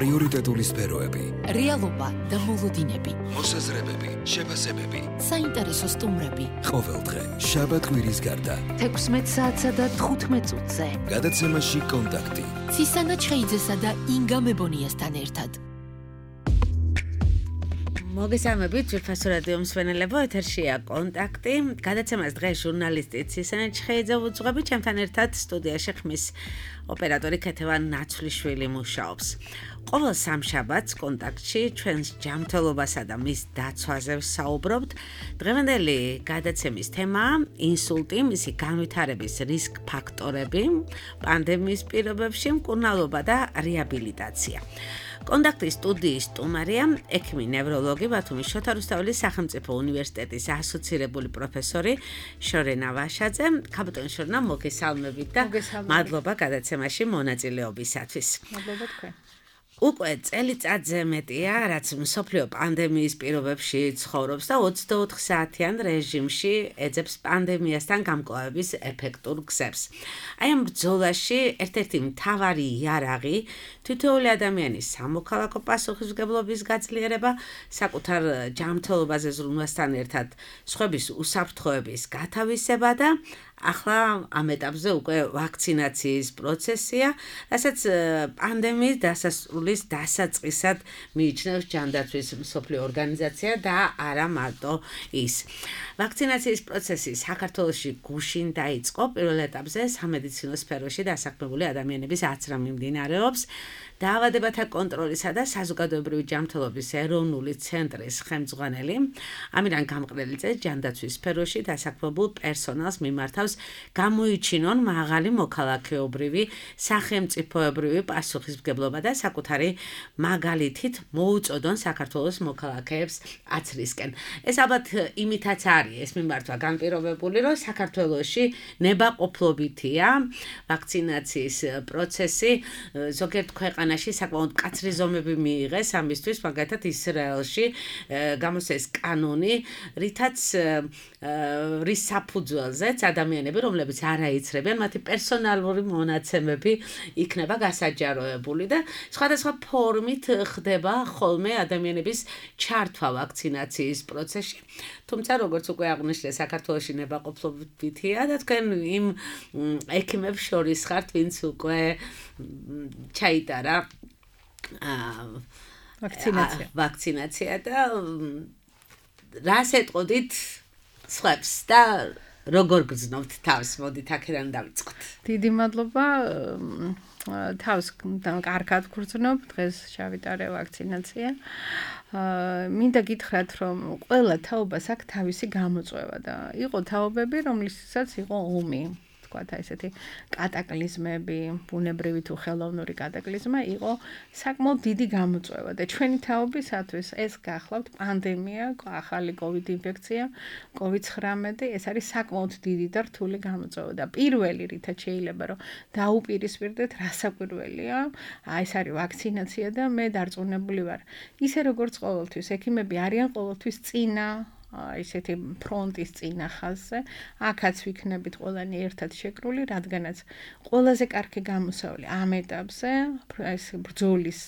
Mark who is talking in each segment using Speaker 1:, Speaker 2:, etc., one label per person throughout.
Speaker 1: პრიორიტეტული სფეროები,
Speaker 2: რეალობა და მოლოდინები,
Speaker 1: მოსაზრებები, შეფასებები,
Speaker 2: საინტერესო სტუმრები.
Speaker 1: ყოველდღე, შაბათ-კვირის გარდა,
Speaker 2: 16 საათსა და 15 წუთზე.
Speaker 1: გადაცემაში კონტაქტი.
Speaker 2: ცისანა ჩხეიძესა და ინგა მებონიასთან ერთად.
Speaker 3: მოგესალმებით, ძვირფასო რადიო მსმენელებო, ეთერშია კონტაქტი. გადაცემას დღეს ჟურნალისტი ცისანა ჩხეიძე უძღვები, ჩემთან ერთად სტუდიაში ხმის ოპერატორი ქეთევან ნაცვლიშვილი მუშაობს. ყოველ სამშაბათს კონტაქტში ჩვენს ჯანმრთელობასა და მის დაცვაზე ვსაუბრობთ. დღევანდელი გადაცემის თემაა ინსულტი, მისი განვითარების რისკ ფაქტორები, პანდემიის პირობებში მკურნალობა და რეაბილიტაცია. კონტაქტის სტუდიის სტუმარია ექიმი ნევროლოგი ბათუმის შოთა რუსთაველის სახელმწიფო უნივერსიტეტის ასოცირებული პროფესორი შორენა ვაშაძე. ქაბატონ შორენა, მოგესალმებით და მადლობა გადაცემაში მონაწილეობისათვის.
Speaker 4: მადლობა თქვენ.
Speaker 3: უკვე წელიწადზე მეტია, რაც მსოფლიო პანდემიის პირობებში ცხოვრობს და 24 საათიან რეჟიმში ეძებს პანდემიასთან გამკლავების ეფექტურ გზებს. აი ამ ბრძოლაში ერთ-ერთი მთავარი იარაღი თითოეული ადამიანის სამოქალაქო პასუხისმგებლობის გაძლიერება, საკუთარ ჯანმრთელობაზე ზრუნვასთან ერთად სხვების უსაფრთხოების გათავისება და ახლა ამ ეტაპზე უკვე ვაქცინაციის პროცესია, რასაც პანდემიის დასასრულის დასაწყისად მიიჩნევს ჯანდაცვის მსოფლიო ორგანიზაცია და არა მარტო ის. ვაქცინაციის პროცესი საქართველოში გუშინ დაიწყო, პირველ ეტაპზე სამედიცინო სფეროში დასაქმებული ადამიანების აცრა მიმდინარეობს. დაავადებათა კონტროლისა და საზოგადოებრივი ჯანმრთელობის ეროვნული ცენტრის ხელმძღვანელი ამირან გამყრელიძე ჯანდაცვის სფეროში დასაქმებულ პერსონალს მიმართავს გამოიჩინონ მაღალი მოქალაქეობრივი, სახელმწიფოებრივი პასუხისმგებლობა და საკუთარი მაგალითით მოუწოდონ საქართველოს მოქალაქეებს აცრისკენ. ეს ალბათ იმითაც არის ეს მიმართვა განპირობებული, რომ საქართველოში ნებაყოფლობითია ვაქცინაციის პროცესი, ზოგიერთ ქვეყანაში საკმაოდ მკაცრი ზომები მიიღეს ამისთვის, მაგალითად ისრაელში გამოსცეს კანონი, რის საფუძველზეც ადამიანები, რომლებიც არ აიცრებიან, მათი პერსონალური მონაცემები იქნება გასაჯაროებული და სხვადასხვა ფორმით ხდება ხოლმე ადამიანების ჩართვა ვაქცინაციის პროცესში. თუმცა, როგორც უკვე აღნიშნე, საქართველოში ნებაყოფლობითია და თქვენ იმ ექიმებს შორის ხართ, ვინც უკვე ჩაიტარა ვაქცინაცია და რას ეტყოდით სხვებს და როგორ გრძნობთ თავს? მოდით აქედან დავიწყოთ.
Speaker 4: დიდი მადლობა. თავს კარგად გრძნობ, დღეს ჩავიტარე ვაქცინაცია. მინდა გითხრათ, რომ ყველა თაობას აქვს თავისი გამოწვევა და იყო თაობები, რომლისთვისაც იყო ომი. ესეთი კატაკლიზმები, ბუნებრივი თუ ხელოვნური კატაკლიზმა იყო საკმაოდ დიდი გამოწვევა და ჩვენი თაობისათვის ეს გახლავთ პანდემია, ახალი COVID ინფექცია, COVID-19, ეს არის საკმაოდ დიდი და რთული გამოწვევა და პირველი რითაც შეიძლება რომ დაუპირისპირდეთ, რასაკვირველია, ეს არის ვაქცინაცია და მე დარწმუნებული ვარ. ისე როგორც ყოველთვის, ექიმები არიან ყოველთვის წინა ისეთი ფრონტის წინა ხაზზე, აქაც ვიქნებით ყველანი ერთად შეკრული, რადგანაც ყველაზე კარგი გამოსავალი ამ ეტაპზე, ეს ბრძოლის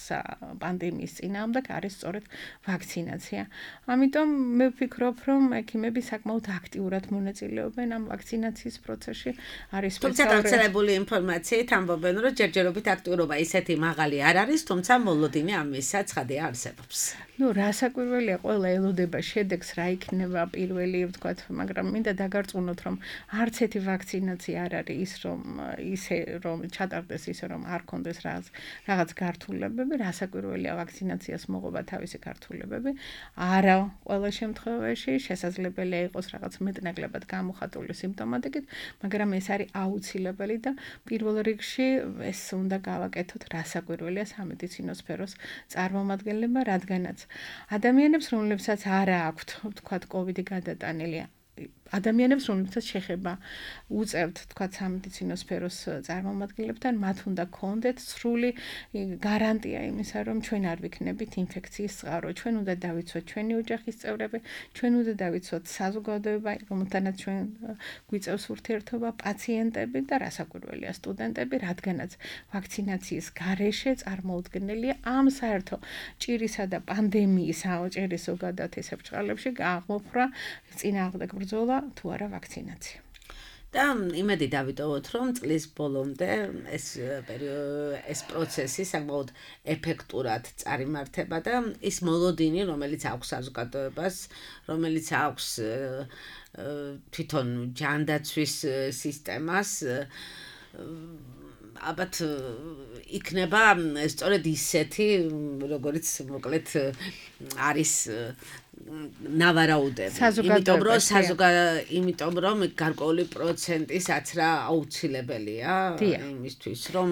Speaker 4: პანდემიის წინააღმდეგ არის სწორედ ვაქცინაცია. ამიტომ მე ვფიქრობ, რომ ექიმები საკმაოდ აქტიურად მონაწილეობენ ამ ვაქცინაციის პროცესში. არის
Speaker 3: თუმცა გავრცელებული ინფორმაციით ამბობენ, რომ ჯერჯერობით აქტიურობა ისეთი მაღალი არ არის, თუმცა მოლოდინი ამისა ცხადია არსებობს.
Speaker 4: რასაკვირველია, ყველა ელოდება შედეგს, რა იქნება პირველი, ვთქვათ, მაგრამ მინდა დაგარწმუნოთ, რომ არც ერთი ვაქცინაცია არ არის ისე რომ ჩატარდეს ისე რომ არ კონდეს რაღაც გართულებები, რასაკვირველია ვაქცინაციას მოღობა თავისი გართულებები. არა ყველა შემთხვევაში შესაძლებელია იყოს რაღაც მეტნაკლებად გამოხატული სიმპტომატიკით, მაგრამ ეს არის აუცილებელი და პირველ რიგში ეს უნდა გავაკეთოთ რასაკვირველია სამედიცინო სფეროს წარმომადგენლებმა, რადგანაც ადამიანებს, რომლებსაც არა აქვთ, ვთქვათ, COVID-ი გადატანილი, ადამიანებს, რომლებსაც შეხება უწევთ, თქვა სამედიცინო სფეროს წარმომადგენლებთან, მათ უნდა გქონდეთ სრული გარანტია იმისა, რომ ჩვენ არ ვიქნებით ინფექციის წყარო, ჩვენ უნდა დავიცვათ ჩვენი ოჯახის წევრები, ჩვენ უნდა დავიცვათ საზოგადოება, რომელთანაც ჩვენ გვიწევს ურთიერთობა, პაციენტები და რასაკვირველია სტუდენტები, რადგანაც ვაქცინაციის გარეშე წარმოუდგენელია ამ საერთო ჭირისა და პანდემიის აოჭერის ზოგადად ესე ბრჭყალებში აღმოფხვრა წინააღმდეგ ბრძოლა თუ არა ვაქცინაცია.
Speaker 3: და იმედი დავიტოვოთ, რომ წლის ბოლომდე ეს პროცესი საკმაოდ ეფექტურად წარიმართება და ის მოლოდინი, რომელიც აქვს საზოგადოებას, რომელიც აქვს თვითონ ჯანდაცვის სისტემას, ალბათ იქნება სწორედ ისეთი, როგორც მოკლედ არის ნავარაუდები. იმიტომ რომ გარკვეული პროცენტისაც რა აუცილებელია იმისთვის, რომ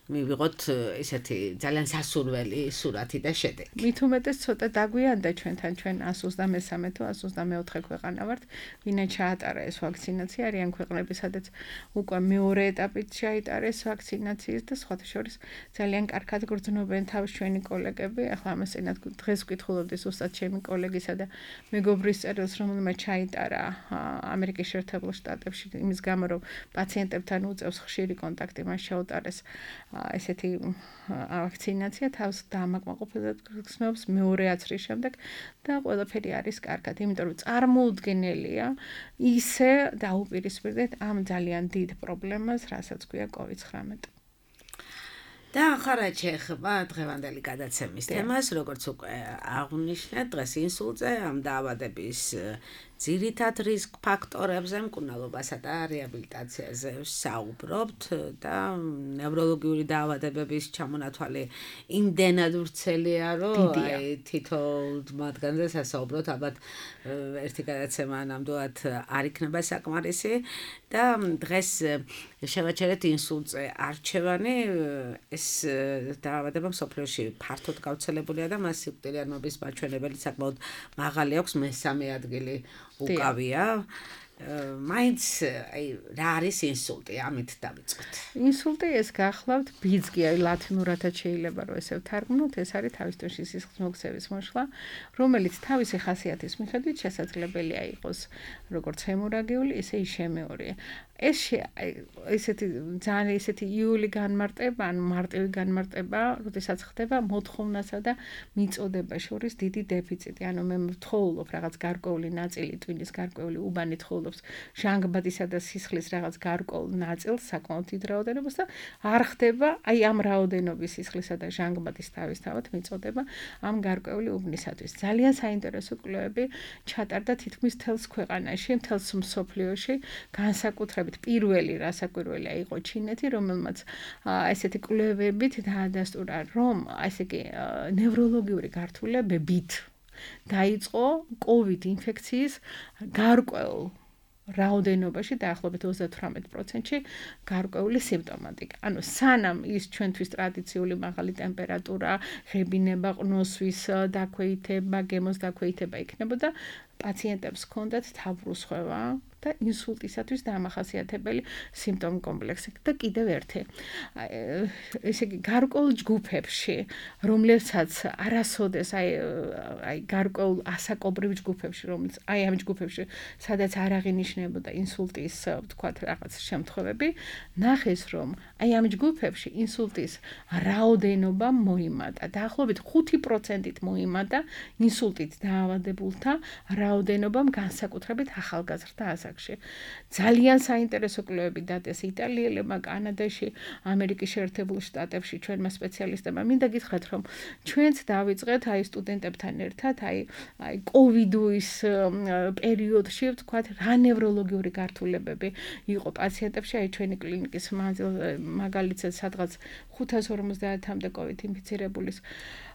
Speaker 3: მივიღოთ ესეთი ძალიან სასურველი სურათი და შედეგი.
Speaker 4: მით უმეტეს ცოტა დაგვიანდა ჩვენთან, ჩვენ 123 თუ 124 ქვეყანა ვართ, ვინაც ჩაატარა ეს ვაქცინაცია, არიან ქვეყნები, სადაც უკვე მეორე ეტაპით ჩაიტარეს ვაქცინაციის და სხვათა შორის ძალიან კარგად გრძნობენ თავს ჩვენი კოლეგები. ახლა ამას წინათ დღეს ვკითხულობდი ზუსტად ჩემი კოლეგისა და მეგობრის წერილს, რომელმაც ჩაიტარა ამერიკის შეერთებულ შტატებში იმის გამო, რომ პაციენტებთან უწევს ხშირი კონტაქტი, მას შეუტარეს ესეთი ვაქცინაცია, თავს დამაკმაყოფილებლად გრძნობს მეორე აცრის შემდეგ და ყველაფერი არის კარგად, იმიტომ რომ წარმოუდგენელია ისე დაუპირისპირდეთ ამ ძალიან დიდ პრობლემას, რასაც ქვია COVID-19.
Speaker 3: და ახლა რაც შეეხება დღევანდელი გადაცემის თემას, როგორც უკვე აღვნიშნეთ, დღეს ინსულტზე ამ დაავადების ძირითად რისკ ფაქტორებზე, მკურნალობასა და რეაბილიტაციაზე საუბრობთ და ნევროლოგიური დაავადებების ჩამონათვალი იმდენად ვრცელია, რომ თითოეულ მათგანზე სასაუბროთ, ალბათ ერთი გადაცემა ნამდვილად არ იქნება საკმარისი და დღეს შევაჩერეთ ინსულტზე არჩევანი. ეს დაავადება მსოფლიოში ფართოდ გავრცელებულია და მას სიკვდილიანობის მაჩვენებელი საკმაოდ მაღალი აქვს, მესამე ადგილი უკავია. მაინც რა არის ინსულტი? ამით დავიწყოთ.
Speaker 4: ინსულტი ეს გახლავთ ბიძგი, ლათინურადაც შეიძლება რომ ესე ვთარგმნოთ, ეს არის თავისთავად სისხლის მოქცევის მოშლა, რომელიც თავისი ხასიათის მიხედვით შესაძლებელია იყოს როგორც ჰემორაგიული, ისე ისემიური. ესეთი ძალიან ესეთი იული განმარტება, ან მარტივი განმარტება, როდესაც ხდება მოთხოვნასა და მიწოდება შორის დიდი დეფიციტი. ანუ მე ვთხოვულობ რაღაც გარკვეული ნაწილი ტვინის გარკვეული უბანი თხოვულობს ჟანგბადისა და სისხლის რაღაც გარკვეულ ნაწილს, საკმაოდ დიდ რაოდენობას და არ ხდება აი ამ რაოდენობის სისხლისა და ჟანგბადის თავისთავად მიწოდება ამ გარკვეული უბნისათვის. ძალიან საინტერესო კვლევები ჩატარდა თითქმის მთელს ქვეყანაში, მთელს მსოფლიოში, განსაკუთრებით პირველი რასაკვირველია იყო ჩინეთი, რომელმაც ესეთი კვლევებით დაადასტურა, რომ ესე იგი ნევროლოგიური გართულებებით დაიწყო COVID ინფექციის გარკვეულ რაოდენობაში დაახლოებით 38%-ში გარკვეული სიმპტომატიკა. ანუ სანამ ის ჩვენთვის ტრადიციული მაღალი ტემპერატურა, ღებინება, ყნოსვის დაქვეითება, გემოს დაქვეითება იქნებოდა, პაციენტებს ჰქონდათ თავბრუსხვევა და ინსულტისათვის დამახასიათებელი სიმპტომი კომპლექსი და კიდევ ერთი. ესე იგი გარკვეულ ჯგუფებში, რომლებსაც არასოდეს აი გარკვეულ ასაკობრივ ჯგუფებში, რომელიც აი ამ ჯგუფებში, სადაც არ აღინიშნებოდა ინსულტის, თქვათ რაღაც შემთხვევები, ნახეს, რომ აი ამ ჯგუფებში ინსულტის რაოდენობა მოიმატა. დაახლოებით 5%-ით მოიმატა ინსულტით დაავადებულთა რაოდენობამ განსაკუთრებით ახალგაზრდა ასაკში. ძალიან საინტერესო კვლევები დადეს იტალიელებმა, კანადაში, ამერიკის შეერთებულ შტატებში ჩვენმა სპეციალისტებმა. მინდა გითხრათ, რომ ჩვენც დავიწყეთ აი სტუდენტებთან ერთად, აი კოვიდის პერიოდში, ვთქვათ, რა ნევროლოგიური გართულებები იყო პაციენტებში, აი ჩვენი კლინიკის მაგალითად სადღაც 550-მდე COVID ინფიცირებულის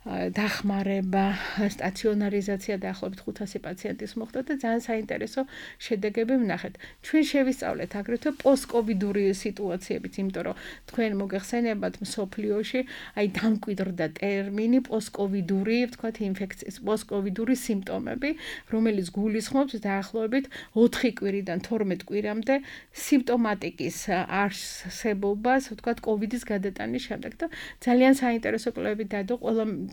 Speaker 4: დახმარება, სტაციონარიზაცია დაახლოებით 500 პაციენტის მოხდა და ძალიან საინტერესო შედეგები ვნახეთ. ჩვენ შევისწავლეთ აგრეთვე პოსტკოვიდური სიტუაციებით, იმიტომ რომ თქვენ მოგეხსენებათ მსოფლიოში აი დამკვიდრდა ტერმინი პოსტკოვიდური, ვთქვათ, ინფექციის პოსტკოვიდური სიმპტომები, რომელიც გულისხმობს დაახლოებით 4 კვირიდან 12 კვირამდე სიმპტომატიკის არსებობას, ვთქვათ, კოვიდის გადატანის შემდეგ და ძალიან საინტერესო კვლევები დადო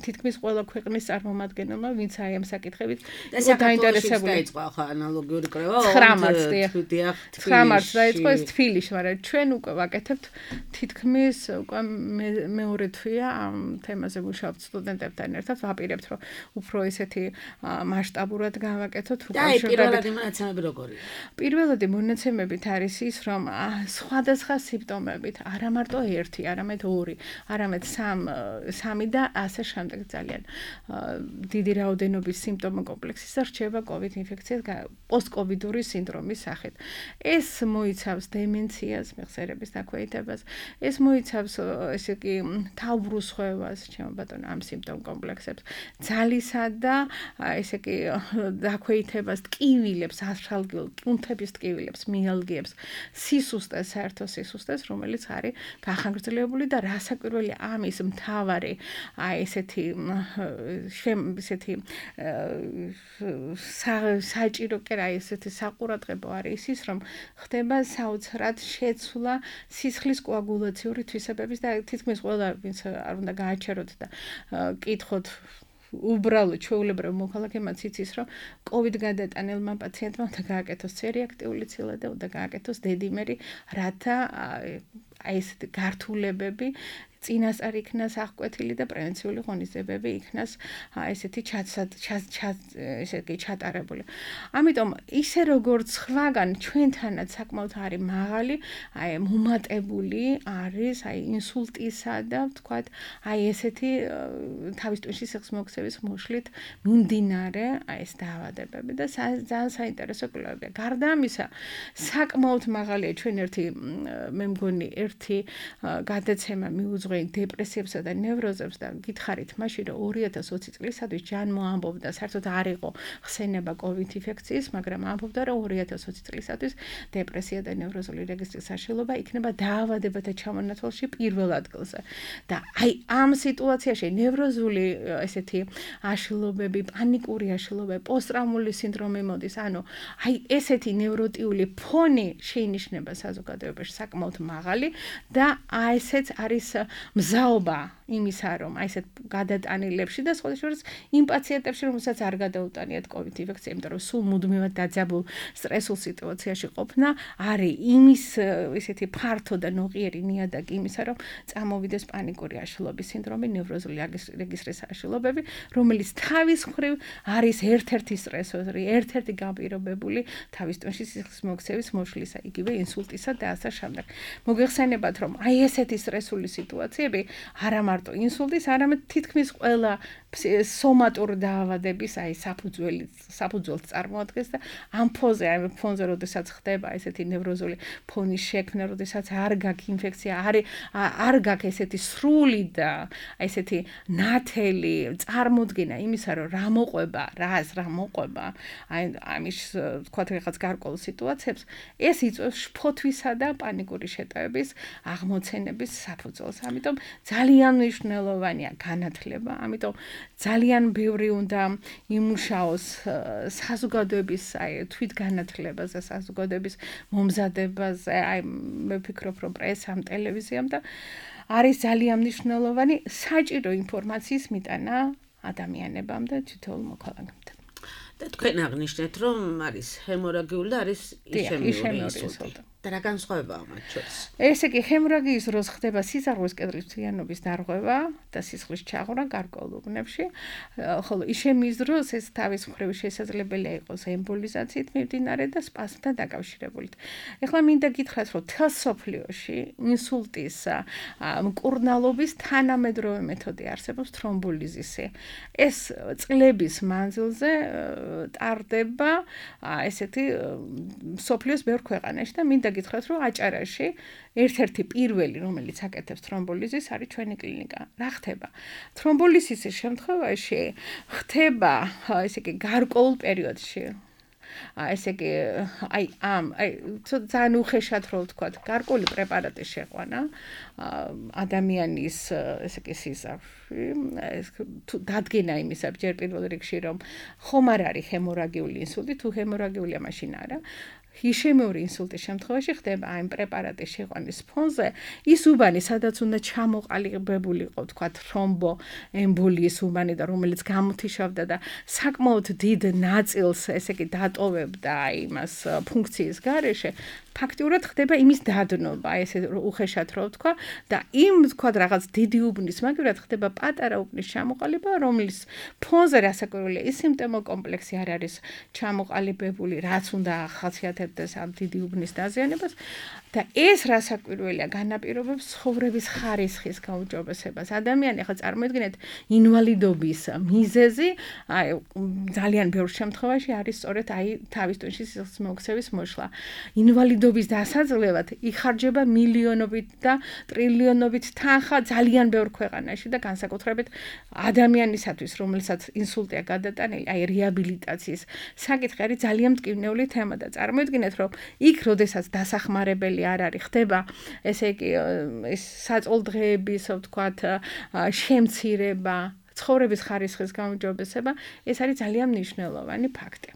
Speaker 4: თითქმის ყველა ქვეყნის წარმომადგენელმა, ვინც აი ამ საკითხებით
Speaker 3: დაინტერესებული. დაიწყო ხა ანალოგიური კვლევა
Speaker 4: 9 მარტს დაიწყო ეს თბილისში, მაგრამ ჩვენ უკვე ვაკეთებთ თითქმის უკვე მეორე თვეა ამ თემაზე ვუშავებთ სტუდენტებთან ერთად, ვაპირებთ რომ უფრო ესეთი მასშტაბურად გავაკეთოთ
Speaker 3: პირველადი მონაცემები როგორია?
Speaker 4: პირველადი მონაცემებით არის ის, რომ სხვადასხვა სიმპტომებით, არა მარტო ერთი, არამედ ორი, არამედ სამი და ასე შემდეგ ძალიან დიდი რაოდენობის სიმპტომო კომპლექსისა რჩება COVID ინფექციას პოსტკოვიდური სინდრომის სახით. ეს მოიცავს დემენციას, მეხსიერების დაქვეითებას, ეს მოიცავს ესე იგი თავბრუსხვევას, ჩემო ბატონო, ამ სიმპტომ კომპლექსებს, ძალისა და ესე იგი დაქვეითებას, ტკივილებს, აშალგილ კუნთების ტკივილებს, მიალგიებს, სისუსტეს, საერთო სისუსტეს, რომელიც არის გახანგრძლივებული და რასაკვირველია ამის მთავარი აი ესეთი საჭირო კი რა ესეთი საყურადღებო არის ის, რომ ხდება საოცრად შეცვლა სისხლის კოაგულაციური თვისებების და თითქმის ყველა ვინც არ უნდა გააჩეროთ და კითხოთ უბრალოდ ჩვეულებრივ მოქალაქემაც იცის, რომ COVID გადატანილმა პაციენტმა უნდა გააკეთოს C-რეაქტიული ცილა და უნდა გააკეთოს დედიმერი, რათა აი ესეთი გართულებები წინასწარ იქნას აღკვეთილი და პრევენციული ღონისძიებები იქნას ესეთი ესეთი ჩატარებული. ამიტომ ისე როგორც სხვაგან ჩვენთანაც საკმაოდ არის მაღალი, აი მომატებული არის აი ინსულტისა და ვთქვათ, აი ესეთი თავის ტვინში სიხს მოქცევის მოშლით მიმდინარე აი ეს დაავადებები და ძალიან საინტერესო კვლევებია. გარდა ამისა, საკმაოდ მაღალია ჩვენ მე მგონი ერთი გადაცემა მიუძღვნა დეპრესიებსა და ნევროზებს და გითხარით მაშინ რომ 2020 წლისადმი ჯანმო ამბობდა საერთოდ არ იყო ხსენება COVID ინფექციის, მაგრამ ამბობდა რომ 2020 წლისადმი დეპრესია და ნევროზული რეგისტრის საშუალება იქნება დაავადებათა ჩამონათვალში პირველ ადგილზე. და აი ამ სიტუაციაში ნევროზული ესეთი აშლობები, პანიკური აშლობები, პოსტტრაუმული სინდრომი მოდის, ანუ აი ესეთი ნევროტიული ფონი შეინიშნება საზოგადოებაში საკმაოდ მაღალი და აი ესეც არის მზაობა იმისა, რომ აი ესეთ გადატანილებში და სხვა შორის იმ პაციენტებში, რომელსაც არ გადაუტანიათ COVID ინფექცია, იმიტომ რომ სულ მუდმივად დაძაბულ სტრესულ სიტუაციაში ყოფნა არის იმის ესეთი ფართო და ნოყიერი ნიადაგი იმისა, რომ წამოვიდეს პანიკური აშლობის სინდრომი, ნევროზული რეგისტრის აშლობები, რომელიც თავის მხრივ არის ერთ-ერთი სტრესორი, ერთ-ერთი გაპირობებული თავის ტვინში სიხის მოქცევის მოშლისა, იგივე ინსულტისა და ასე შემდეგ. მოგეხსენებათ, რომ აი ესეთი სტრესული სიტუაციები არა მარტო ინსულტის, არამედ თითქმის ყველა სომატურ დაავადების აი საფუძველს წარმოადგენს და ამ ფონზე როდესაც ხდება ესეთი ნევროზული ფონის შექმნა, როდესაც არ გაქვს ინფექცია, არ გაქვს ესეთი სრული და ესეთი ნათელი წარმოდგენა იმისა, რომ რა მოყვება, რა მოყვება, აი ამის თქვათ რაღაც გარკვეულ სიტუაციებს, ეს იწვევს შფოთვისა და პანიკური შეტევების აღმოცენების საფუძველს. ამიტომ ძალიან მნიშვნელოვანია განათლება, ამიტომ ძალიან ბევრი უნდა იმუშაოს საზოგადოების აი თვითგანათლებაზე, საზოგადოების მომზადებაზე, აი მე ვფიქრობ, რომ პრესამ, ტელევიზიამ და არის ძალიან მნიშვნელოვანი საჭირო ინფორმაციის მიტანა ადამიანებამ და თითოეულ მოქალაქემთან.
Speaker 3: და თქვენ აღნიშნეთ, რომ არის ჰემორაგიული და არის იშემიური ინსულტი. და რა განსხვავებაა მათ შორის?
Speaker 4: ესე იგი, ჰემორაგიის დროს ხდება სისხლის კედლის მთლიანობის დარღვევა და სისხლის ჩაღვრა გარკვეულ უბნებში, ხოლო იშემიის დროს ეს თავის მხრივ შესაძლებელია იყოს ემბოლიზაციით მიმდინარე და სპაზმთან დაკავშირებული. ეხლა მინდა გითხრათ, რომ თელ სოფლიოში ინსულტის მკურნალობის თანამედროვე მეთოდი არსებობს თრომბოლიზისი. ეს წლების მანძილზე ტარდება ესეთი სოფლიოს ბევრ ქვეყანაში და მინდა გითხრათ, რომ აჭარაში ერთ-ერთი პირველი, რომელიც აკეთებს თრომბოლიზის, არის ჩვენი კლინიკა. რა ხდება? თრომბოლიზის შემთხვევაში ხდება, ესე იგი, გარკვეულ პერიოდში. ესე იგი, ძალიან უხეშად რო ვთქვათ, გარკვეული პრეპარატის შეყვანა ადამიანის, ესე იგი, სიზარში, დადგენა იმისა, ჯერ პირველ რიგში, რომ ხომ არ არის ჰემორაგიული ინსულტი, თუ ჰემორაგიულია, მაშინ არა. იშემიური ინსულტის შემთხვევაში ხდება აი პრეპარატის შეყვანის ფონზე ის უბანი, სადაც უნდა ჩამოყალიბებული იყო, თქვათ, თრომბო ემბოლიის უბანი და რომელიც გამოთიშავდა და საკმაოდ დიდ ნაწილს, ესე იგი, დატოვებდა იმას ფუნქციის გარეშე, ფაქტიურად ხდება იმის დადნობა, ესე უხეშად რო ვთქვა და იმ, თქვათ, რაღაც დიდი უბნის მაგივრად ხდება პატარა უბნის ჩამოყალიბება, რომლის ფონზე რასაკვირველია, ის სიმპტომო კომპლექსი არ არის ჩამოყალიბებული, რაც უნდა ახასიათებდეს ამ დიდი უბნის დაზიანებას და ეს რასაკვირველია განაპირობებს ცხოვრების ხარისხის გაუმჯობესებას. ადამიანი ახლა წარმოიდგინეთ ინვალიდობის მიზეზი, აი ძალიან ბევრ შემთხვევაში არის სწორედ აი თავის ტვინში სისხლის მოქცევის მოშლა. ინვალიდობის დასაძლევად იხარჯება მილიონობით და ტრილიონობით თანხა ძალიან ბევრ ქვეყანაში და განსაკუთრებით ადამიანისათვის, რომელსაც ინსულტია გადატანილი, აი რეაბილიტაციის საკითხი არის ძალიან მტკივნეული თემა და წარმოიდგინეთ, რომ იქ როდესაც დასახმარებელი არ არის, ხდება, ესე იგი, ეს საწოლდღეების, ვთქვათ, შემცირება, ცხოვრების ხარისხის გაუმჯობესება, ეს არის ძალიან მნიშვნელოვანი ფაქტი.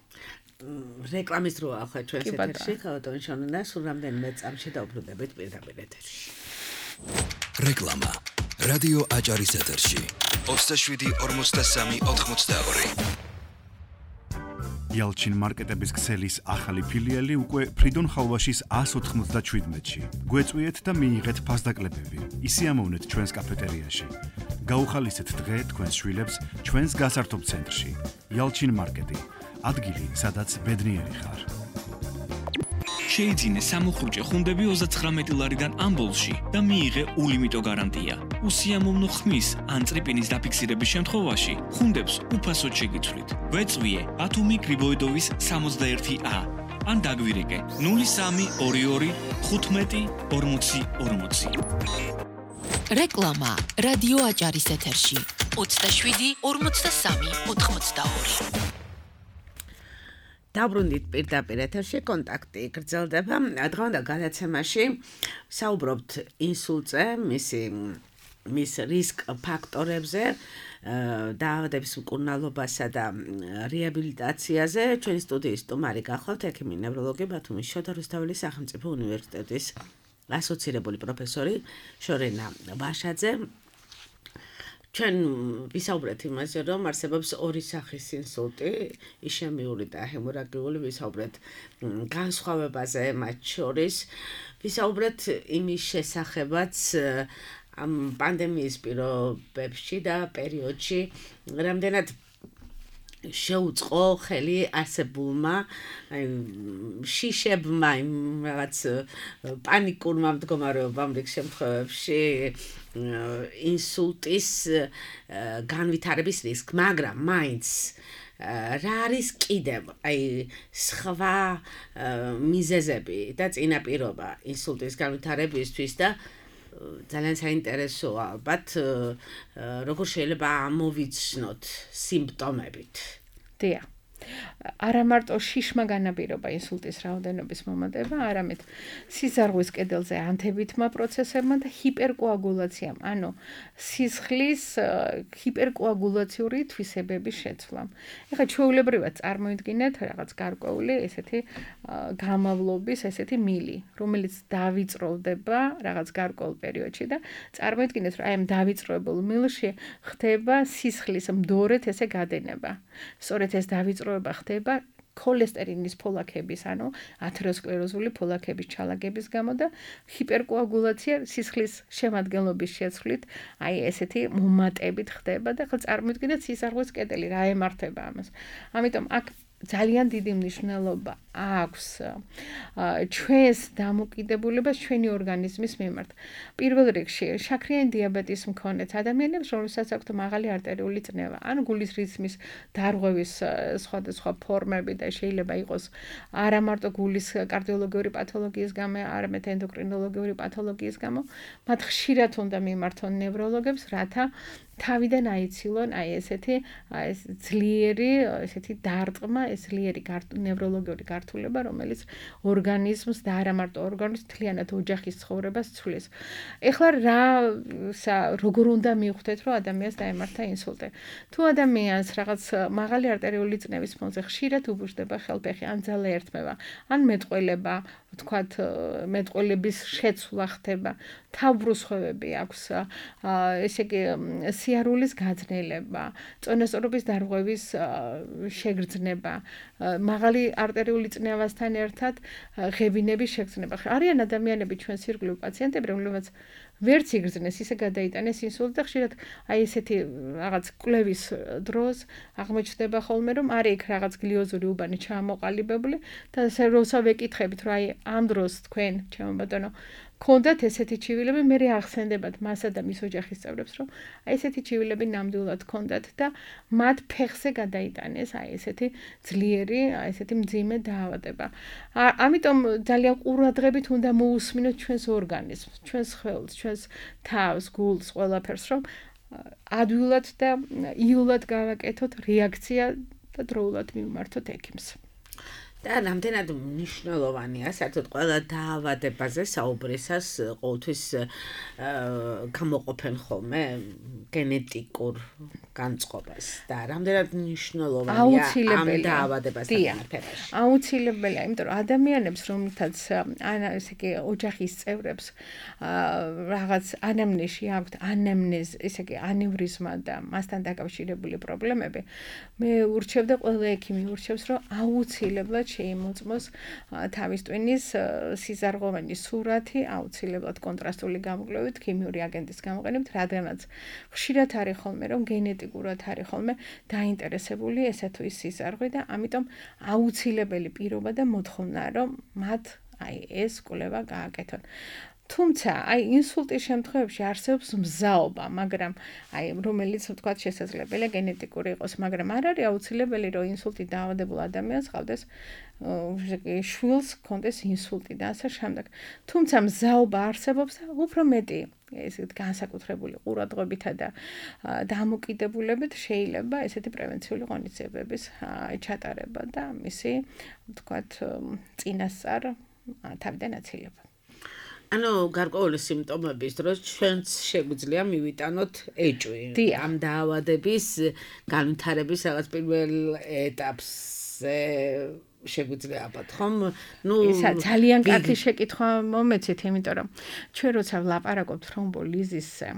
Speaker 3: რეკლამის დროა ახლა ჩვენს ეთერში, ხალხო შონნა, სულ რამდენიმე წამში დავუბრუნდებით პირდაპირ ეთერში.
Speaker 1: რეკლამა. რადიო აჭარის ეთერში. 27-43-82.
Speaker 5: იალჩინ მარკეტების ქსელის ახალი ფილიალი უკვე ფრიდონ ხალვაშის 197-ში. გვეწვიეთ და მიიღეთ ფასდაკლებები. ისიამოვნეთ ჩვენს კაფეტერიაში. გაუხალისეთ დღე თქვენს შვილებს ჩვენს გასართობ ცენტრში. იალჩინ მარკეტი. ადგილი, სადაც ბედნიერი ხარ.
Speaker 6: შეიძინე სამუხრუჭე ხუნდები 39 ლარიდან ამბოლში და მიიღე ულიმიტო გარანტია. უსიამოვნო ხმის ან წრიპინის დაფიქსირების შემთხვევაში ხუნდებს უფასოდ შეგიცვლით. გვეწვიე ბათუმი გრიბოედოვის 61A ან დაგვირეკე 0322 15 40 40.
Speaker 2: რეკლამა რადიო აჭარის ეთერში 27 43 82.
Speaker 3: დაბრუნდით პირდაპირ ეთერში, კონტაქტი გრძელდება. დღევანდელ გადაცემაში საუბრობთ ინსულტზე, მის რისკ ფაქტორებზე, დაავადების მკურნალობასა და რეაბილიტაციაზე. ჩვენი სტუდიის სტუმარი გახლავთ ექიმი ნევროლოგი ბათუმის შოთა რუსთაველის სახელმწიფო უნივერსიტეტის ასოცირებული პროფესორი შორენა ვაშაძე. ჩვენ ვისაუბრეთ იმაზე, რომ არსებობს ორი სახის ინსულტი, იშემიური და ჰემორაგიული, ვისაუბრეთ განსხვავებაზე მათ შორის, ვისაუბრეთ იმის შესახებაც ამ პანდემიის პირობებში და პერიოდში, რამდენად შეუწყო ხელი არსებულმა შიშებმა იმ რაღაც პანიკურმა მდგომარეობამ რიგ შემთხვევებში ინსულტის განვითარების რისკ, მაგრამ მაინც რა არის კიდევ აი სხვა მიზეზები და წინაპირობა ინსულტის განვითარებისთვის და ძალიან საინტერესოა ალბათ როგორ შეიძლება ამოვიცნოთ სიმპტომებით.
Speaker 4: დია. არა მარტო შიშმა განაპირობა ინსულტის რაოდენობის მომატება, არამედ სისხლის კედელზე ანთებითმა პროცესებმა და ჰიპერკოაგულაციამ, ანუ სისხლის ჰიპერკოაგულაციური თვისებების შეცვლამ. ეხლა ჩვეულებრივად წარმოიდგინეთ რაღაც გარკვეული ესეთი გამავლობის ესეთი მილი, რომელიც დავიწროვდება რაღაც გარკვეულ პერიოდში და წარმოიდგინეთ, რომ აი ამ დავიწროებულ მილში ხდება სისხლის მდორედ ესე გადენება. სწორედ ეს დავიწროება ხდება ქოლესტერინის ფოლაქების, ანუ ათეროსკლეროზული ფოლაქების ჩალაგების გამო და ჰიპერკოაგულაცია სისხლის შემადგენლობის შეცვლით, აი ესეთი მომატებით ხდება და ხა წარმოიდგინეთ სისხლის კედელი რა ემართება ამას. ამიტომ აქ ძალიან დიდი მნიშვნელობა აქვს ჩვენს დამოკიდებულებას ჩვენი ორგანიზმის მიმართ. პირველ რიგში, შაქრიანი დიაბეტის მქონე ადამიანებს, რომელსაც აქვთ მაღალი არტერიული წნევა, ან გულის რითმის დარღვევის სხვადასხვა ფორმები და შეიძლება იყოს არა მარტო გულის კარდიოლოგიური პათოლოგიის გამო, არამედ ენდოკრინოლოგიური პათოლოგიის გამო, მათ ხშირად უნდა მიმართონ ნევროლოგებს, რათა თავიდან აიცილონ ესეთი ძლიერი ესეთი დარტყმა, ძლიერი ნევროლოგიური გართულება, რომელიც ორგანიზმს და არა მარტო ორგანიზმს მთლიანად ოჯახის ცხოვრებას ცვლის. ეხლა როგორ უნდა მივხვდეთ, რომ ადამიანს დაემართა ინსულტი? თუ ადამიანს რაღაც მაღალი არტერიული წნევის ფონზე ხშირად უბუჟდება ხელფეხი, ან ძალა ერთმევა, ან მეტყველება, ვთქვათ, მეტყველების შეცვლა ხდება, თავბრუსხვევები აქვს, ესე იგი სიარულის გაძნელება, წონასწორობის დარღვევის შეგრძნება, მაღალი არტერიული წნევასთან ერთად ღებინების შეგრძნება. არიან ადამიანები ჩვენს ირგვლივ პაციენტები, რომლებიც ვერც იგრძნეს, ისე გადაიტანეს ინსულტი და ხშირად ესეთი რაღაც კვლევის დროს აღმოჩნდება ხოლმე, რომ არის იქ რაღაც გლიოზური უბანი ჩამოყალიბებული და როცა ვეკითხებით, რომ ამ დროს თქვენ, ჩემო ბატონო, ქონდათ ესეთი ჩივილები, მე ახსენდებათ მასა და მის ოჯახის წევრებს, რომ ესეთი ჩივილები ნამდვილად ქონდათ და მათ ფეხზე გადაიტანეს ესეთი ძლიერი, ესეთი მძიმე დაავადება. ამიტომ ძალიან ყურადღებით უნდა მოусმინოთ ჩვენს ორგანიზმს, ჩვენს ხელს, ჩვენს თავს, გულს, ყველაფერს, რომ ადვილად და იულად გავაკეთოთ რეაქცია და დროულად მივმართოთ ექიმს.
Speaker 3: და რამდენად მნიშვნელოვანია საერთოდ ყველა დაავადებაზე საუბრისას ყოველთვის გამოყოფენ ხოლმე გენეტიკურ განწყობას და რამდენად მნიშვნელოვანია ამ დაავადებასთან მიმართებაში.
Speaker 4: აუცილებელია, იმიტომ რომ ადამიანებს, რომლითაც ესე იგი ოჯახის წევრებს რაღაც ანამნეზი აქვთ, ესე იგი ანევრიზმა და მასთან დაკავშირებული პრობლემები, მე ურჩევ და ყველა ექიმი ურჩევს, რომ აუცილებლად შეიმოწმოს თავის ტვინის სიზარღვოვანი სურათი, აუცილებლად კონტრასტული გამოკვლევით, ქიმიური აგენტის გამოყენებით, რადგანაც ხშირად არის ხოლმე, რომ გენეტიკურად არის ხოლმე დაინტერესებული ესა თუ ის სიზარღვე და ამიტომ აუცილებელი პირობა და მოთხოვნაა, რომ მათ ეს კვლევა გააკეთონ. თუმცა, ინსულტის შემთხვევებში არსებობს მზაობა, მაგრამ რომელიც ვთქვათ შესაძლებელია გენეტიკური იყოს, მაგრამ არ არის აუცილებელი, რომ ინსულტი დაავადებულ ადამიანს ჰყავდეს შვილს ჰქონდეს ინსულტი და ასე შემდეგ. თუმცა მზაობა არსებობს და უფრო მეტი ესეთ განსაკუთრებული ყურადღებითა და დამოკიდებულებით შეიძლება ესეთი პრევენციული ღონისძიებების ჩატარება და მისი ვთქვათ წინასწარ თავიდან აცილება.
Speaker 3: ანუ გარკვეული სიმპტომების დროს ჩვენც შეგვიძლია მივიტანოთ ეჭვი ამ დაავადების განვითარების რაღაც პირველ ეტაპზე შეგვიძლია ალბათ ხომ?
Speaker 4: ისა ძალიან კარგი შეკითხვა მომეცით, იმიტომ რომ ჩვენ როცა ვლაპარაკობთ თრომბოლიზისზე,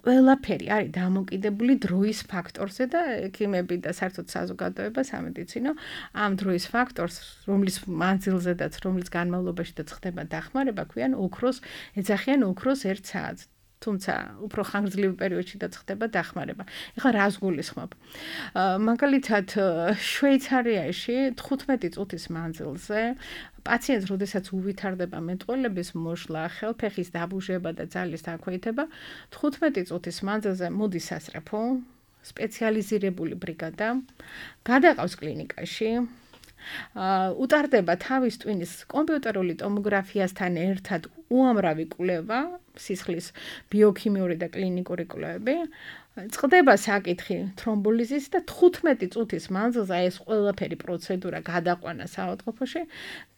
Speaker 4: ყველაფერი არის დამოკიდებული დროის ფაქტორზე და ექიმები და საერთოდ საზოგადოება სამედიცინო ამ დროის ფაქტორს, რომლის მანძილზედაც, რომლის განმავლობაშიც ხდება დახმარება, ქვიან ოქროს, ეძახიან ოქროს 1 საათს. თუმცა უფრო ხანგრძლივ პერიოდშიც ხდება დახმარება. ეხლა რას გულისხმობ? მაგალითად, შვეიცარიაში 15 წუთის მანძილზე პაციენტს, როდესაც უვითარდება მეტყველების მოშლა, ხელფეხის დაბუჟება და ძალის დაქვეითება, 15 წუთის მანძილზე მოდის სასწრაფო, სპეციალიზირებული ბრიგადა, გადაყავს კლინიკაში, უტარდება თავის ტვინის კომპიუტერული ტომოგრაფიასთან ერთად უამრავი კვლევა, სისხლის ბიოქიმიური და კლინიკური კვლევები, წყდება საკითხი თრომბოლიზის და 15 წუთის მანძილზე ეს ყველაფერი პროცედურა გადაყვანა საავადმყოფოში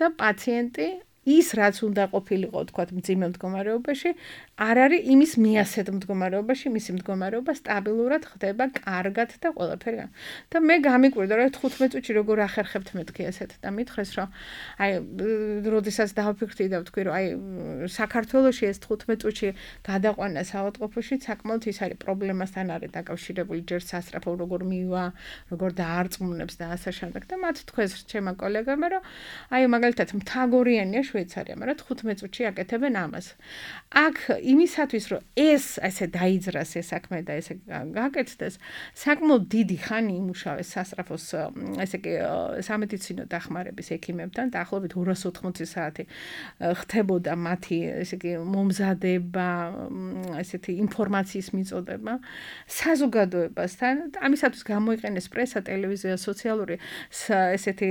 Speaker 4: და პაციენტი ის რაც უნდა ყოფილიყო, თქვათ, მძიმე მდგომარეობაში, არ არის იმის მიასეთ მდგომარეობაში, მისი მდგომარეობა სტაბილურად ხდება, კარგად და ყველაფერი. და მე გამიკვირდა, რომ 15 წუთში როგორ ახერხებთ მეთქი ესეთ და მითხრეს, რომ როდესაც დავფიქრდი და ვთქვი, რომ საქართველოში ეს 15 წუთში გადაყვანა საავადმყოფოში, საკმაოდ ის არის პრობლემასთან არის დაკავშირებული, ჯერ სასწრაფო როგორ მივა, როგორ დაარწმუნებს და ასე შემდეგ. და მათ თქვეს ჩემმა კოლეგებმა, რომ მაგალითად მთაგორიანია შვეიცარია, მაგრამ 15 წუთში აკეთებენ ამას. აქ იმისათვის რომ ეს ესე დაიძრას ეს საქმე და ესე გაკეთდეს, საკმაოდ დიდი ხანი იმუშავეს სასწრაფოს ესე იგი სამედიცინო დახმარების ექიმებთან, დაახლოებით 280 საათი ხდებოდა მათი ესე იგი მომზადება, ესეთი ინფორმაციის მიწოდება საზოგადოებასთან. ამისათვის გამოიყენეს პრესა, ტელევიზია, სოციალური ესეთი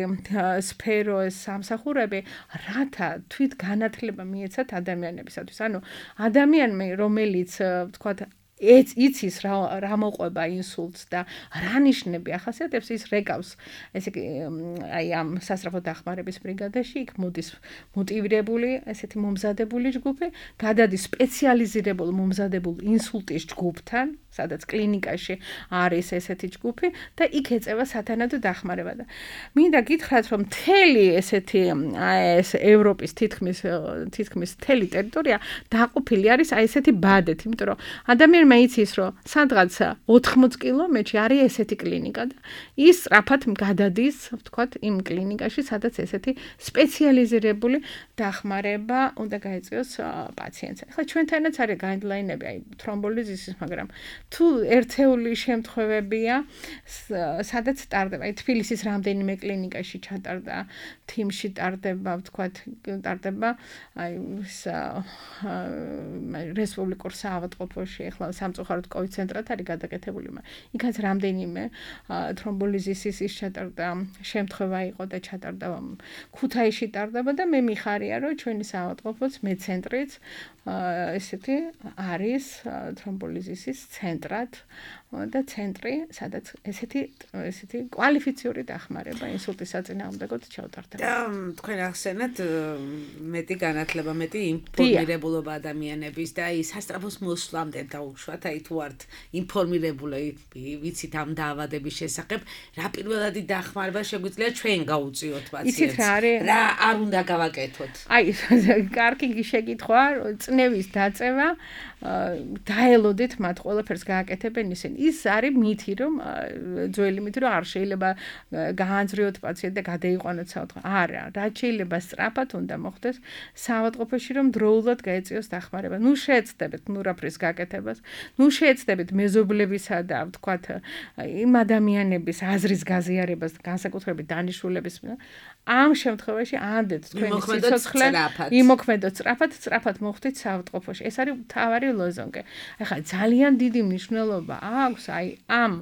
Speaker 4: სფერო, სამსახურები, რათა თვით განათლება მიეცათ ადამიანებისათვის. ანუ ადამიანმა, რომელიც ვთქვათ იცის რა მოყვება ინსულტს და რა ნიშნები ახასიათებს, ის რეკავს ესე იგი აი ამ სასწრაფო დახმარების ბრიგადაში, იქ მოდის მოტივირებული ესეთი მომზადებული ჯგუფი, გადადის სპეციალიზირებულ მომზადებულ ინსულტის ჯგუფთან, სადაც კლინიკაში არის ესეთი ჯგუფი და იქ ეწევა სათანადო დახმარება და მინდა გითხრათ რომ მთელი ესეთი ეს ევროპის თითქმის მთელი ტერიტორია დაყოფილი არის აი ესეთი ბადეთ, იმიტომ რომ ადამიანმა იცის რომ სადღაც 80 კილომეტრში არის ესეთი კლინიკა და ის სწრაფად გადადის, ვთქვათ, იმ კლინიკაში, სადაც ესეთი სპეციალიზირებული დახმარება უნდა გაეწიოს პაციენტს. ახლა ჩვენთანაც არის გაიდლაინები აი თრომბოლიზისის, მაგრამ თუ ერთეული შემთხვევებია, სადაც ტარდება, აი თბილისის რამდენიმე კლინიკაში ჩატარდა, თიმში ტარდება, ვთქვათ, ტარდება, აი რესპუბლიკურ საავადმყოფოში, ახლა სამწუხაროდ COVID ცენტრად არის გადაკეთებული, იქაც რამდენიმე თრომბოლიზისის ის ჩატარდა, შემთხვევა იყო და ჩატარდა ქუთაისში ტარდება და მე მიხარია, რომ ჩვენი საავადმყოფოც მეცენტრიც ესეთი არის თრომბოლიზისის ცენტრად და ცენტრი, სადაც ესეთი კვალიფიციური დახმარება ინსულტის საწინააღმდეგოდ ჩავტარდება.
Speaker 3: და თქვენ ახსენეთ მეტი განათლება, მეტი ინფორმირებულობა ადამიანების და აი სასწრაფოს მოსვლამდე დაუშვათ, აი თუ ართ ინფორმირებული, ვიცით ამ დაავადების შესახებ, რა პირველადი დახმარება შეგვიძლია ჩვენ გავუწიოთ პაციენტს. რა არ უნდა გავაკეთოთ?
Speaker 4: აი, კარგი შეკითხვა, წნევის დაწევა, დაელოდეთ მათ ყველაფერს გააკეთებენ ისინი. ის არის მითი, რომ ძველი მითი, რომ არ შეიძლება გაანძრიოთ პაციენტი და გადაიყვანოთ საავადმყოფოში. არა, რაც შეიძლება სწრაფად უნდა მოხდეს საავადმყოფოში, რომ დროულად გაეწიოს დახმარება. ნუ შეეცდებით ნურაფრის გაკეთებას, ნუ შეეცდებით მეზობლებისა და ვთქვათ იმ ადამიანების აზრის გაზიარებას, განსაკუთრებით დანიშნულების. ამ შემთხვევაში ანდეთ თქვენი სიცოცხლე იმოქმედოთ სწრაფად მოხდით საავადმყოფოში. ეს არის მთავარი ლოზონგი. ახლა ძალიან დიდი მნიშვნელობა აქვს აი ამ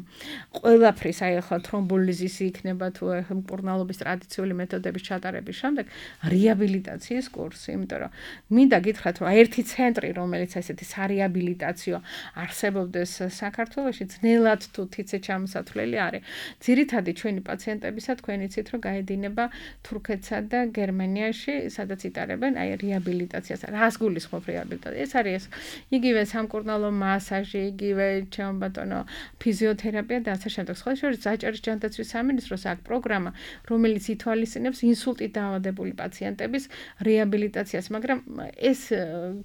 Speaker 4: ყველაფრის, აი ახლა თრომბოლიზისი იქნება თუ მკურნალობის ტრადიციული მეთოდების ჩატარების შემდეგ რეაბილიტაციის კურსი, იმიტომ რომ მინდა გითხრათ, რომ ერთი ცენტრი, რომელიც ესეთი სარეაბილიტაციო არსებობდეს საქართველოში, ძნელად თუ თიცე ჩამოსათვლელი არის. ძირითადად ჩვენი პაციენტებისა თქვენ იცით, რომ გაედინება თურქეთსა და გერმანიაში, სადაც იტარებენ აი რეაბილიტაციას. რას გულისხმობ რეაბილიტაცია? ეს არის იგივე სამკურნალო მასაჟი, იგივე ჩემო ბატონო ფიზიოთერაპია და ასე შემდეგ. სხვა შორის საჭირო ჯანდაცვის სამინისტროს აქვს პროგრამა, რომელიც ითვალისწინებს ინსულტით დაავადებული პაციენტების რეაბილიტაციას, მაგრამ ეს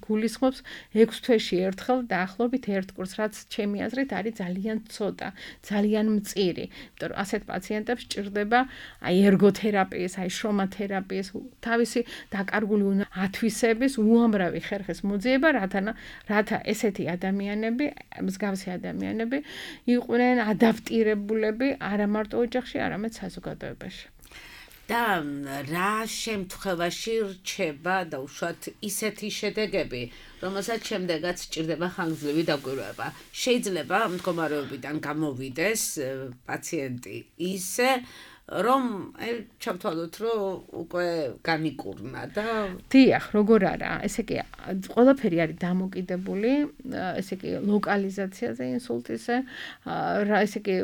Speaker 4: გულისხმობს 6 თვეში ერთხელ დაახლოებით ერთ კურსს, რაც ჩემი აზრით არის ძალიან ცოტა, ძალიან მწირი. იმიტომ რომ ასეთ პაციენტებს ჭირდება აი ერგოთერაპიის, აი შრომათერაპიის, თავისი დაკარგული ათვისების უამრავი ხერხის მოძიება, რათა ესეთი ადამიანები, მსგავსი ადამიანები იყვნენ ადაპტირებულები არა მარტო ოჯახში, არამედ საზოგადოებაში.
Speaker 3: და რა შემთხვევაში რჩება და უშუალოდ ისეთი შედეგები, რომელსაც შემდეგაც ჭირდება ხანგრძლივი დაკვირვება. შეიძლება მდგომარეობიდან გამოვიდეს პაციენტი ისე, რომ ჩავთვალოთ, რომ უკვე განიკურნა და
Speaker 4: დიახ, როგორ არა, ესე იგი ყველაფერი არის დამოკიდებული, ესე იგი ლოკალიზაციაზე ინსულტისზე, ესე იგი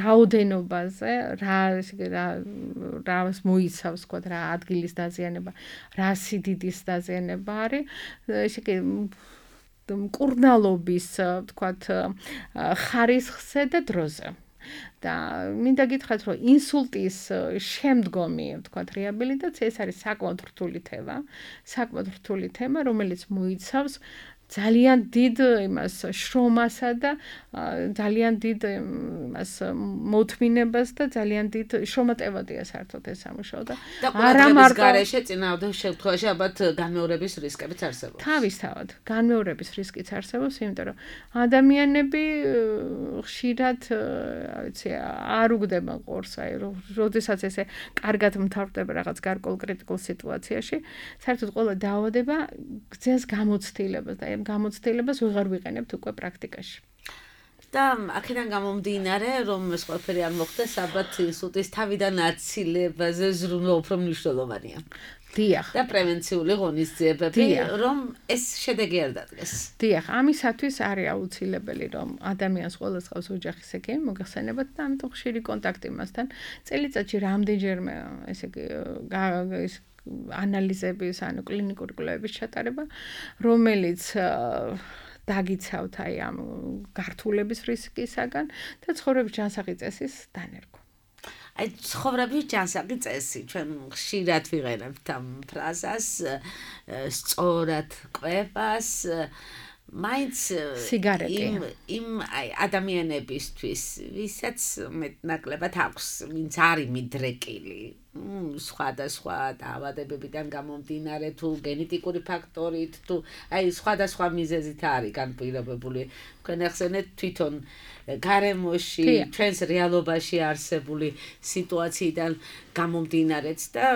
Speaker 4: რაოდენობაზე, ესე იგი რას მოიცავს, თქვა რა ადგილის დაზიანება, რა სიდიდის დაზიანება არის, ესე იგი მკურნალობის, თქვა ხარისხზე და დროზე. და მინდა გითხრათ, რომ ინსულტის შემდგომი, ვთქვათ, რეაბილიტაცია ეს არის საკმაოდ რთული თემა, რომელიც მოიცავს ძალიან დიდ იმას შრომასა და ძალიან დიდ იმას მოთმინებას და ძალიან დიდ შრომატევადია საერთოდ ეს სამუშაო და
Speaker 3: არა მარტო გარეშე წინააღმდეგ შემთხვევაში ალბათ განმეორების რისკებიც არსებობს.
Speaker 4: თავისთავად განმეორების რისკიც არსებობს, იმიტომ რომ ადამიანები ხშირად ვიცი არ უგდება ყურს, აი როდესაც ესე კარგად მთავრდება რაღაც გარკვეულ კრიტიკულ სიტუაციაში, საერთოდ ყველა დაავადება გზას გამოცდილებას და ამ გამოცდილებას ვეღარ ვიყენებთ უკვე პრაქტიკაში.
Speaker 3: და აქედან გამომდინარე, რომ ეს ყველაფერი არ მოხდეს, ალბათ ინსულტის თავიდან აცილებაზე ზრუნვა უფრო მნიშვნელოვანია.
Speaker 4: დიახ.
Speaker 3: და პრევენციული ღონისძიებები, რომ ეს შედეგი არ დადგეს.
Speaker 4: დიახ, ამისათვის არის აუცილებელი, რომ ადამიანს ყველას ყავს ოჯახის ექიმი, მოგეხსენებათ და ამიტომ ხშირი კონტაქტი მასთან. წელიწადში რამდენჯერმე, ესე იგი, ანალიზების, ანუ კლინიკური კვლევების ჩატარება, რომელიც დაგიცავთ აი ამ გართულების რისკისაგან და ცხოვრების ჯანსაღი წესის დანერგვა.
Speaker 3: აი ცხოვრების ჯანსაღი წესი, ჩვენ ხშირად ვიღებთ ამ ფრაზას, სწორად კვებას, მაინც
Speaker 4: სიგარეტი
Speaker 3: იმ აი ადამიანებისთვის, ვისაც მეტნაკლებად აქვს, ვინც არის მიდრეკილი, სხვადასხვა დაავადებებიდან გამომდინარე თუ გენეტიკური ფაქტორით თუ აი სხვადასხვა მიზეზით არის განპირობებული. თქვენ ახსენეთ თვითონ გარემოში, ჩვენს რეალობაში არსებული სიტუაციიდან გამომდინარეც და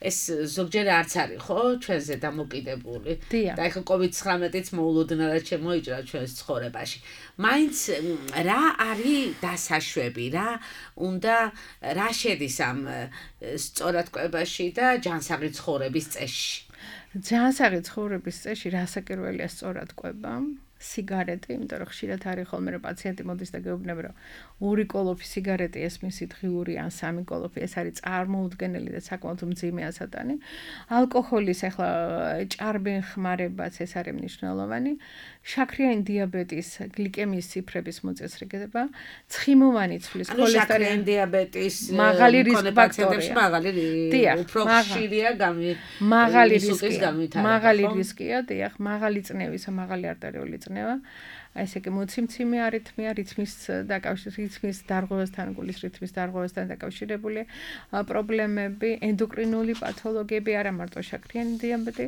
Speaker 3: ეს ზოგჯერ არც არის, ხო, ჩვენზე დამოკიდებული. და ეხლა COVID-19-იც მოულოდნელად შემოიჭრა ჩვენს ცხოვრებაში. მაინც რა არის დასაშვები, რა შედის ამ სწორად კვებაში და ჯანსაღი ცხოვრების წესში.
Speaker 4: ჯანსაღი ცხოვრების წესში რასაკერველია სწორად კვება? სიგარეტი, იმიტომ რომ ხშირად არის ხოლმე რომ პაციენტი მოდის და გეუბნება რომ 2 კოლოფი სიგარეტი ეს მისი დღიური ან 3 კოლოფი ეს არის წარმოუდგენელი და საკმაოდ მძიმე ასატანი. ალკოჰოლის ახლა ჭარბენ ხმარებაც ეს არის მნიშვნელოვანი. შაქრიანი დიაბეტის გლიკემიის ციფრების მოწესრიგება, ცხიმოვანი ცვლის
Speaker 3: ქოლესტერინის შაქრიანი დიაბეტის
Speaker 4: მაღალი რისკ ფაქტორია.
Speaker 3: უფრო ხშირია
Speaker 4: მაღალი რისკია, დიახ, მაღალი წნევის, მაღალი არტერიული წნევა. ესე იგი მოციმციმე არითმია, რითმის დარღვევასთან, გულის რითმის დარღვევასთან დაკავშირებული პრობლემები, ენდოკრინული პათოლოგიები, არა მარტო შაქრიანი დიაბეტი,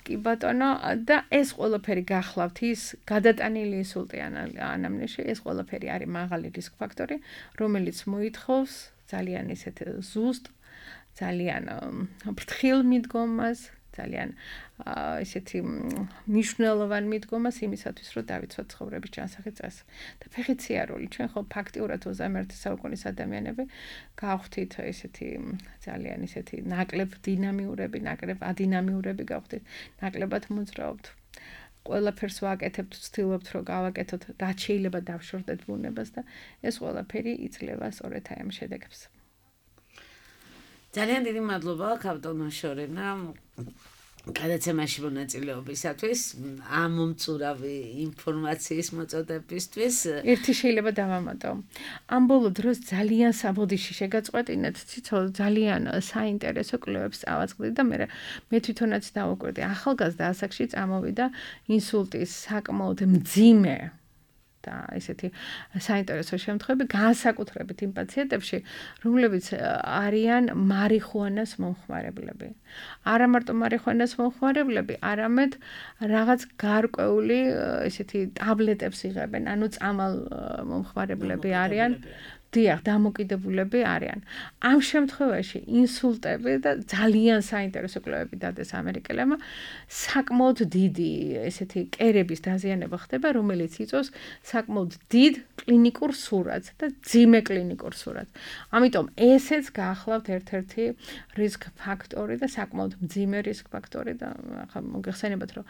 Speaker 4: კი ბატონო, და ეს ყველაფერი გახლავთ ის გადატანილი ინსულტი ანამნეზში, ეს ყველაფერი არის მაღალი რისკ ფაქტორი, რომელიც მოითხოვს ძალიან ისეთ ზუსტ, ძალიან ფრთხილ მიდგომას, ძალიან ესეთი მნიშვნელოვანი მიდგომას იმისათვის, რომ დავიცვათ ცხოვრების ჯანსაღი წესი. და ფეხით სიარული, ჩვენ ხო ფაქტიურად 21 საუკუნის ადამიანები გავხდით ესეთი ძალიან ისეთი ნაკლებ დინამიურები, ნაკლებ ადინამიურები გავხდით, ნაკლებად მოძრაობთ. ყველაფერს ვაკეთებთ, ვცდილობთ, რომ გავაკეთოთ, რაც შეიძლება დავშორდეთ ბუნებას და ეს ყველაფერი იძლევა სწორედ აი ამ შედეგებს.
Speaker 3: ძალიან დიდი მადლობა კაპიტან შორენა გადაცემაში მონაწილეობისათვის, ამ მომწურავი ინფორმაციის მოწოდებისთვის.
Speaker 4: ერთი შეიძლება დავამატო. ამ ბოლო დროს ძალიან საბოდიში შეგაწყვეტინეთ, ციცო ძალიან საინტერესო კვლევებს წავაწყდით და მე თვითონაც დავუკვირდი. ახალგაზრდა ასაკში წამოვიდა ინსულტის საკმაოდ მძიმე და ესეთი საინტერესო შემთხვევები განსაკუთრებით იმ პაციენტებში, რომლებიც არიან მარიხუანას მომხმარებლები. არა მარტო მარიხუანას მომხმარებლები, არამედ რაღაც გარკვეული ესეთი ტაბლეტებს იღებენ, ანუ წამალ მომხმარებლები არიან. დიახ, დამოკიდებულები არიან. ამ შემთხვევაში ინსულტები და ძალიან საინტერესო კვლევები დადეს ამერიკელებმა, საკმაოდ დიდი ესეთი კერების დაზიანება ხდება, რომელიც იწვევს საკმაოდ დიდ კლინიკურ სურათს და ძიმე კლინიკურ სურათს. ამიტომ ესეც გაახლავთ ერთ-ერთი რისკ ფაქტორი და საკმაოდ მძიმე რისკ ფაქტორი და ახლა მოგეხსენებათ, რომ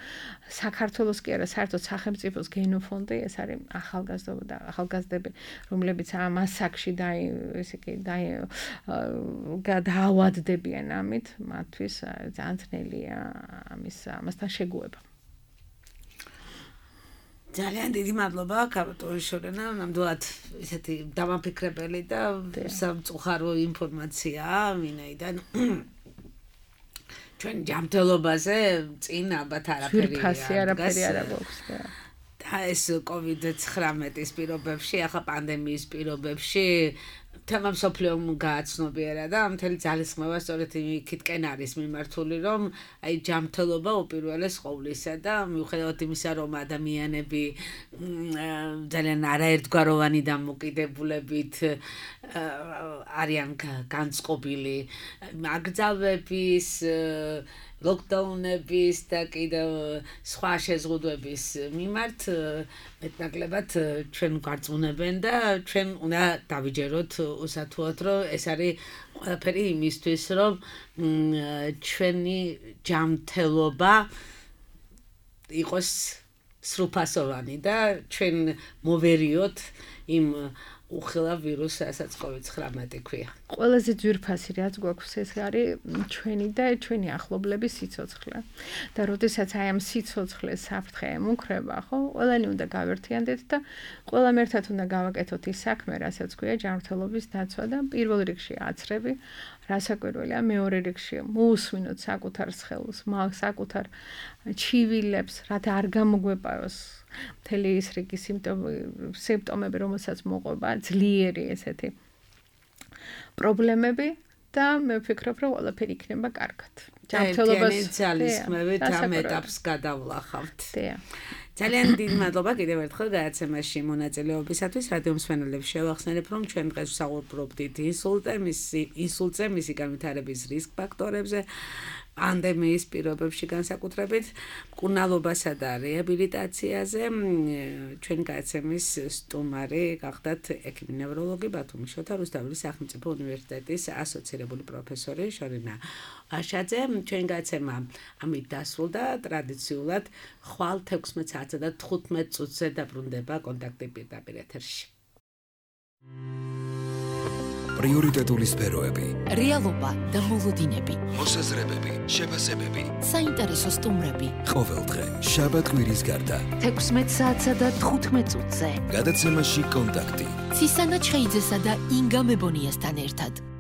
Speaker 4: საქართველოს კი არა, საერთოდ სახელმწიფოს გენოფონდი, ეს არის ახალგაზრდები, რომლებიც ამ ასაკში დაავადდებიან ამით, მათთვის ძალიან ძნელია ამასთან შეგუება.
Speaker 3: ძალიან დიდი მადლობა კაპიტან შორენა, ნამდვილად ესეთი დამაფიქრებელი და სამწუხარო ინფორმაცია მინაიდან ჩვენ ჯანმრთელობაზე წინ ალბათ არაფერი
Speaker 4: არ გვაქვს.
Speaker 3: და ეს COVID-19-ის პირობებში, ახლა პანდემიის პირობებში თემა მსოფლიომ გააცნობიერა და მთელი ძალისხმევა სწორედ იქითკენ არის მიმართული, რომ აი ჯანმრთელობა უპირველეს ყოვლისა და მიუხედავად იმისა, რომ ადამიანები ძალიან არაერთგვაროვანი დამოკიდებულებით არიან განწყობილი აკრძალვების, ლოკდაუნების და კიდევ სხვა შეზღუდვების მიმართ მეტნაკლებად ჩვენ გვარწმუნებენ და ჩვენ უნდა დავიჯეროთ უსათუოდ, რომ ეს არის ყველაფერი იმისთვის, რომ ჩვენი ჯანმრთელობა იყოს სრულფასოვანი და ჩვენ მოვერიოთ იმ უხილავ ვირუსს, რასაც COVID-19 ქვია.
Speaker 4: ყველაზე ძვირფასი რაც გვაქვს ეს არის ჩვენი და ჩვენი ახლობლების სიცოცხლე. და როდესაც აი ამ სიცოცხლეს საფრთხე ემუქრება, ხო, ყველანი უნდა გავერთიანდეთ და ყველამ ერთად უნდა გავაკეთოთ ის საქმე, რასაც ქვია ჯანმრთელობის დაცვა და პირველ რიგში აცრები, რასაკვირველია, მეორე რიგში მოусმინოთ საკუთარ სხეულს, საკუთარ ჩივილებს, რათა არ გამოგვეპაროს მთელი ის რიგი სიმპტომები, რომელსაც მოყვება ძლიერი ესეთი პრობლემები და მე ვფიქრობ, რომ ყველაფერი იქნება კარგად.
Speaker 3: ჯანმრთელობის ძალისხმევით ამ ეტაპს გადავლახავთ. ძალიან დიდი მადლობა კიდევ ერთხელ გადაცემაში მონაწილეობისათვის. რადიო მსმენელებს შევახსენებ, რომ ჩვენ დღეს ვსაუბრობდით ინსულტზე, მისი განვითარების რისკ ფაქტორებზე, პანდემიის პირობებში განსაკუთრებით, მკურნალობასა და რეაბილიტაციაზე. ჩვენი გადაცემის სტუმარი გახდათ ექიმი ნევროლოგი ბათუმის შოთა რუსთაველის სახელმწიფო უნივერსიტეტის ასოცირებული პროფესორი შორინა აშაძე. ჩვენი გადაცემა ამით დასრულდა. ტრადიციულად ხვალ 16 საათსა და 15 წუთზე დაბრუნდება კონტაქტი პირდაპირ ეთერში.
Speaker 1: პრიორიტეტული სფეროები,
Speaker 2: რეალობა და მოლოდინები,
Speaker 1: მოსაზრებები, შეფასებები,
Speaker 2: საინტერესო სტუმრები.
Speaker 1: ყოველდღე შაბათ-კვირის გარდა
Speaker 2: 16 საათსა და 15 წუთზე.
Speaker 1: გადაცემაში კონტაქტი.
Speaker 2: ცისანა ჩხეიძესა და ინგა მებონიასთან ერთად.